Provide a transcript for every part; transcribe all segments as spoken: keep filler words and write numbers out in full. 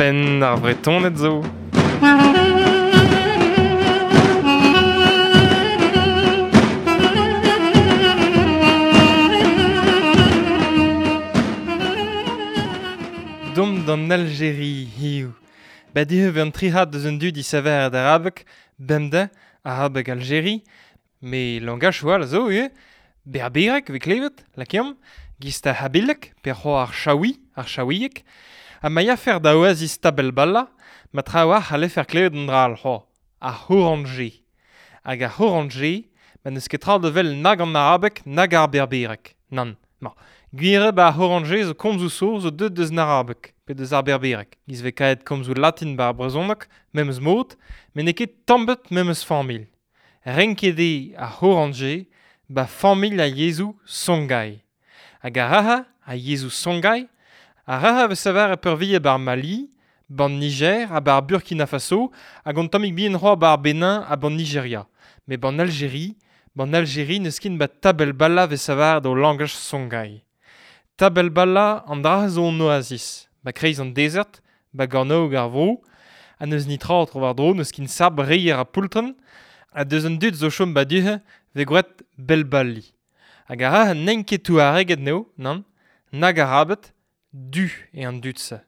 Penn ar Vretoned zo. Dom d'an Algérie hiziv. Ba dihev an tric'had deus un dud disaver d'arabeg, bemdez, arabeg Algérie, me langach all zo ivez, berbereg vez klevet, lakeomp, giz ar c'habilek, pe c'hoar ar chaoui, ar chaouieg, ha ma yafer da oasis Tabelbala, ma trawalc'h a lefer klevet an dra al c'hoar, ar c'horanje. Hag ar c'horanje, ma n'eus ket tra da vel nag an arabeg, nag ar berbereg. Nann, ma. Gwir eo ba ar c'horanje zo komzoù so zo deuet deus an arabeg, pe deus ar berbereg. Giz vez kaet komzoù latin ba ar brezhoneg, memes mod, met n'eo ket tamm-bet memes familh. Renket eo ar c'horanje ba familh a yezhoù Songhai. Hag ar raha, a yezhoù Songhai, ar raha vez saver e peurvuiañ bar Mali, ban Niger ha bar Burkina Faso, hag an tammig bihan c'hoazh bar Benin ha ban Nigeria. Met ban Algérie, ban Algérie n'eus ket ba Tabelbala vez saver d'o langaj Songhai. Tabelbala an dra zo an oasis, ba kreiz an dezert, ba gornaoueg ar vro, ha n'eus nitra tro war-dro, n'eus ket sabr reier ha poultren, ha deus an dud zo chom ba du-he vez gwraet Belbali. Hag ar raha n'int ket touareged n'eo, nann, nag arabed, du eo an dud-se.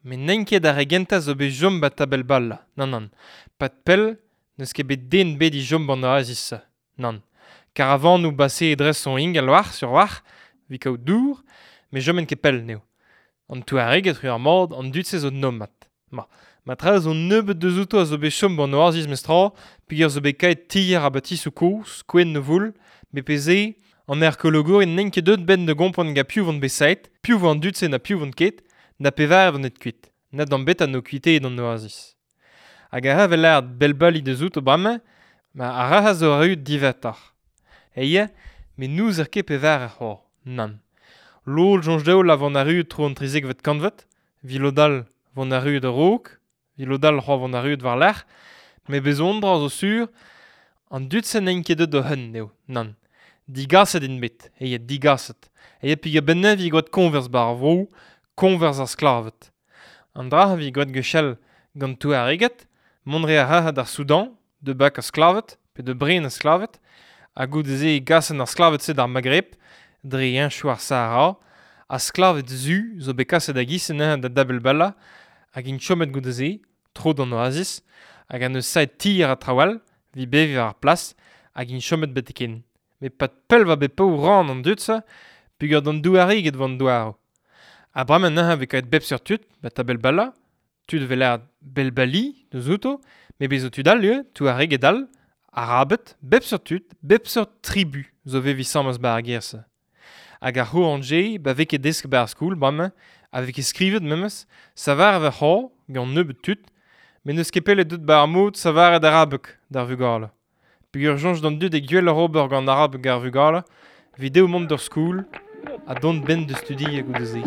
Met n'int ket ar re gentañ zo bet chom ba Tabelbala, nann nann. Pad pell, n'eus ket bet den bet i chom ban oasis-se, nann. Karavanoù base dres son ingal war sur war, evit kaout dour, met choment ket pell n'eo. An touareged ru ar mod, an dud-se zo nomad. Ma, ma tra zo nebeut deus outo a zo bet chom ban oasis mestra, peogwir zo bet kaet tier ha batisoù kozh, kouenn o voul, met pe se, an arkeologourien n'int ket deuet benn da gompren gant piv vont bet saet, piv vo an dud-se na piv vont ket, na pevar vont et kuit, na d'an bet an o kuiteet an oasis. Hag ar ravel lâret Belbali deus outo bremañ, ma ar raha zo arru diwezhatoc'h. Eie, met n'ouzer ket pevar ar c'hoar, nann. Lod soñj dezho la vont arru tro an trizekvet kantved, evit lod all vont arru a-raok, evit lod all c'hoar vont arru war-lerc'h, met bez' dra zo sur, an dud-se n'int ket deuet o-hun eo, nann. Digaset int bet, eie digaset. Eie peogwir benn-neuze evit gwraet koñvers bar ar vro, koñvers ar sklaved. An dra evit gwraet gwechall gant touareged, mont re ar raha d'ar Soudan, de bak ar sklaved, pe de bren ar sklaved, ha goude-se e gasen ar sklaved-se d'ar Maghreb, dre heñchoù ar Sahara, ar sklaved zu zo bet kaset da giz anezhañ da Dabelbala, hag int chomet goude-se, tro d'an oasis, hag an eus saet tier ha traoù all, evit beviñ war ar plas, hag int chomet betek-hen. Met pad pell va bet paour ran an dud-se, peogwir d'an douariged vo an douaroù. Ha bremañ neuze vez kavet bep seurt tud, ba Tabelbala, tud vez lâret Belbali deus outo, met bez zo tud all ivez, touareged all, arabed, bep seurt tud, bep seurt tribu zo veviñ asambles ba ar gêr-se. Hag ar c'horanje, ba vez ket desk ba ar skol, bremañ, ha vez ket skrivet memes, savar a vez c'hoar, gant nebeut tud, met n'eus ket pell deut ba ar mod savaret arabeg d'ar vugale. Peogwir soñj d'an dud e gwelloc'h ober gant arabeg ar vugale, evit dezho mont d'ur skol, ha dont benn da studiañ goude-se.